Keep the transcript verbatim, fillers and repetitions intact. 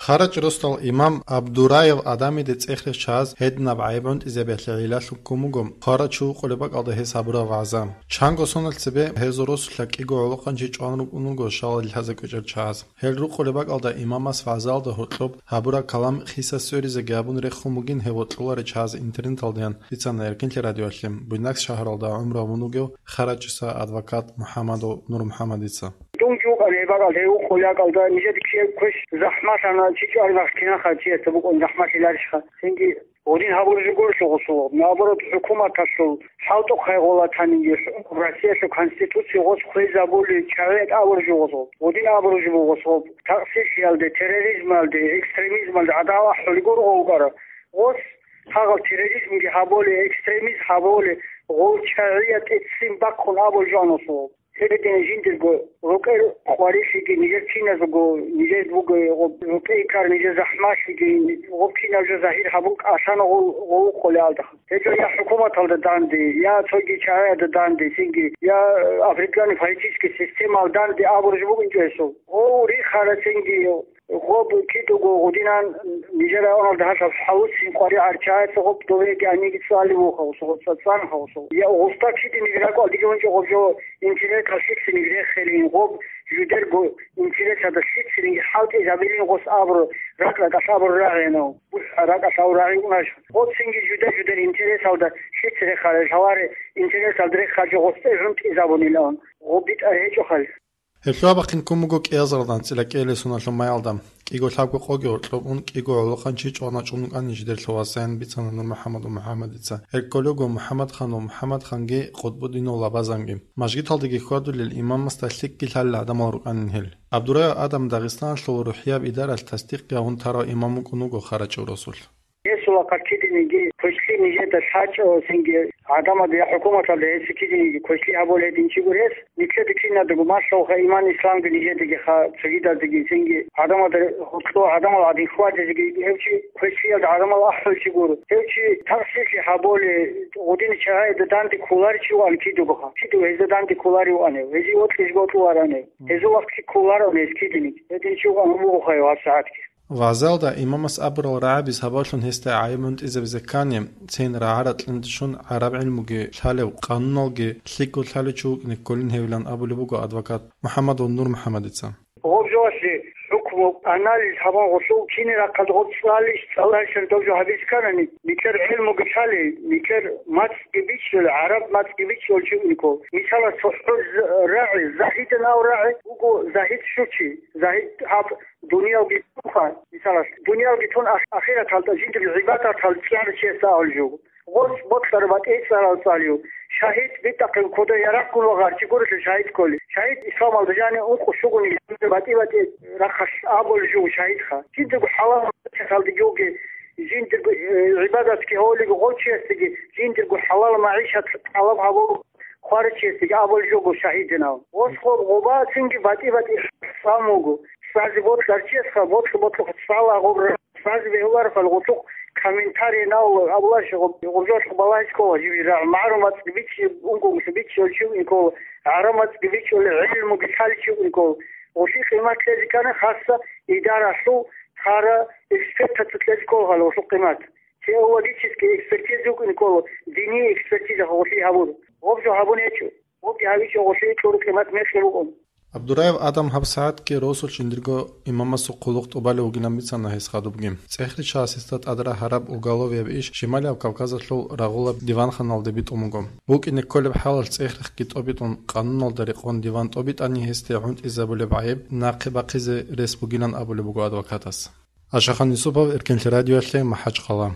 Хъарачи росдал имам Абдураев Адамиде цӀехрехь чагьаз гьединаб гӀайиб гӀунтӀизабиялъе гӀиллалъун ккун буго хъарачи вукъулеб бакӀалда гьес гьабураб вагӀза. Чанго сонал цебе гьезул росулъа кӀиго гӀолохъанчи чӀван рукӀун руго шалал лъазе кӀвечӀел чагьаз. Гьел рукъулеб бакӀалда имамас вагӀзаялда гьоркьоб гьабураб калам хиса сверизеги гьабун рехун бугин гьев вокьуларел чагьаз интернеталдаян бицана Эркинлъи радиоялъе, Буйнакск шагьаралда гӀумру гьабун вугев Хъарачиса адвокат МухӀаммадов НурмухӀаммадица. Дун жугьутӀан гьеб бакӀалда, гьев вукъулеб бакӀалда, нижеда ккей квеш захӀмалъана, чи чӀвараб кинаха чиясда букӀун захӀмалъиларищха? Цинги гьудин гьабураб жо гурелъул гъосул, наоборот, хӀукуматалъул хӀалтӀухъ гъолатаниги, Россиялъул Конституция гъос хвезабули, чагӀи абураб жо гъосул. Гьудин абураб жо буго гъосул, такъсирлъиялде, терроризмалде, экстремизмалде гӀадамал ахӀулел гуро гъов вукӀарав. Гъос гьагъал терроризмги гьабули, экстремизм гьабули, гъов чагӀиятӀе ццин бахъун абул жо гьанусул. Гьедин жиндирго рукӀел къварилъиги нижер киназго, нижер буго гъоб рукӀей ккар нижер захӀмалъиги, гъоб кинаб жо загьир гьабун кӀалъана гъол, гъов вукъулеалда. Гьеб жо я хӀукуматалда данде, я цоги чагӀиялда данде, цинги я африканский политический системаялда данде абураб жо бугин чӀесул. Гъов рихара цинги гъоб кидаго гъудинан нижер районалда гьалъаб хӀалуцин къваригӀарчагӀаца гъоб довеги аниги цӀали вуха гъосо, гъоб цӀацӀан гъосо. Я гъоста кидиниги ракӀал диги гьунчӀо гъоб жо интернеталъ лъицинги реххилин, гъоб жудерго интернеталда лъицинги хӀалтӀизабилин гъос абуру, ракӀ-ракӀалъ абуру рагӀинав, бухӀа ракӀалъ абуру рагӀи унаш. Гъоцинги жуда-жудер интернеталда лъиц реххарел гьаваре интернеталда реххарчӀо гъос тӀе гӀунтӀизабунилан, гъоб битӀар гьечӀохъал. Гьелъул абахъин ккун буго кӀиазаралда анцӀила кӀиабилеб соналъул майалда. КӀиго лъабго къоги гьоркьоб ун кӀиго гӀолохъанчи чӀван чӀун вукӀана нижедер лъугьа-сайин бицана НурмухӀаммад ва МухӀаммадица. Гьел кколего МухӀаммадхан ва МухӀаммадханги Къутбуддинов Лабазанги. Мажгиталдаги хьвадулел имамасда лъикӀги лъалел гӀадамал рукӀанин гьел. Абдураев Адам Дагъистаналъул рухӀияб идаралъ тасдикъги гьабун тарав имам вукӀун вуго Хъарачи росулъ. Гьесул ахъа кидиниги квешлъи нижеда лъачӀо, цинги гӀадамазда я хӀукуматалда гьесие кидиниги квешлъи гьабулеб гьедин чи гур гьес, нилъеда киназдаго малъулха иман-исламги нижедаги ха, цогидаздаги, цинги гӀадамазда гьоркьо гӀадамал гӀадин хьвадизеги гьев чи квешлъиялда гӀадамал ахӀулев чи гур. Гьев чи такъсирлъи гьабулев, гъудини чагӀида данде кколарев чи ван кидаго ха. Кидаго гьезда данде кколарев ван гьев. Гьезие вокьизе бокьуларан гьев. Гьезул ахъ кколарев гьес кидиниги. Гьедин чи ван вугоха гьев гьабсагӀатги. ВагӀзалда имамас абурал рагӀабиз гьабаллъун гьесда гӀайиб гӀунтӀизабизе ккани, цин рагӀа-ракьиндалъун гӀараб гӀилмуги лъалев, къануналги лъикӀго лъалев чи вукӀине кколин гьевилан абулеб буго адвокат МухӀаммадов НурмухӀаммадица. Гъоб жоялъе хӀукму, анализ гьабун гъосул, кини рахъалда гъоб цӀалищ, цӀаларищан доб жо гьабиз кканани, нилъер гӀилмуги лъалей, нилъер мацӀги бичӀчӀулей, гӀараб мацӀги бичӀчӀулев чи вукӀине ккол. Мисалалъ, цохӀо з-, рагӀи, загьидан ав рагӀи вуго, загьид щучи, загьид гьаб Дуниялги тунха, мисалалъ, дуниялги тун ах-, ахираталда жиндир гӀибадатал цӀар чиясда абулеб жо. Гъос бокьараб батӀи цӀарал цӀалев. Шагьид битӀахъе кодо ярагъгун вагъарав чи гурелъул шагьид кколев. Шагьид исламалда жанив ункъо щугони батӀи-батӀи рахъалъ абулеб жо шагьидха. Жиндирго хӀалал мацӀалдеги вугев, жиндирго, э, гӀибадатги гьавулев гъов чиясдаги, жиндирго хӀалал магӀишат тӀалаб гьабулев хварав чиясдаги абулеб жо шагьидин абун. Гъос гъоб-, гъоба цинги батӀи-батӀи цӀан вуго. ЦӀазе бокьарав чиясха ботлъи-ботлъухъ цӀала гъоб ра-, цӀазе бегьулареб хал гъорлъухъ комментарий нал абулаш гъоб-, гъоржолъухъ балагьизе ккола жибирагӀ. МагӀарул мацӀги бичи, ункъо гъуса бичи гьолчи вукӀине ккола, гӀараб мацӀги бичӀчӀулев, гӀилмуги лъалев чи вукӀине ккола. Гъолъие къимат кьезе ккани, хасса идаралъул хъара экспертаца кьезе ккола гьал гъолъул къимат. Теологический экспертиза вукӀине ккола, диниял экспертиза гъолъие гьабур. Гъоб жо гьабун гьечӀо. Гъобги гьавичӀо гъолъие кьураб къимат мекъи букӀун. Абдураев Адам гьабсагӀатги росулъ жиндирго имамасул хъулухъ тӀубалев вугилан бицана гьес хадубги. ЦӀехричагьас гьесда тӀадрагьараб уголовияб иш Шималияб Кавказалъул рагъулаб диванханалде битӀун буго. БукӀине кколеб хӀалалъ цӀехрехъги тӀобитӀун, къануналда рекъон диван тӀобитӀани гьесде гӀунтӀизабулеб гӀайиб нахъе бахъизе рес бугилан абулеб буго адвокатас. Ашахан Юсупов, Эркинлъи радиоялъе, МахӀачхъала.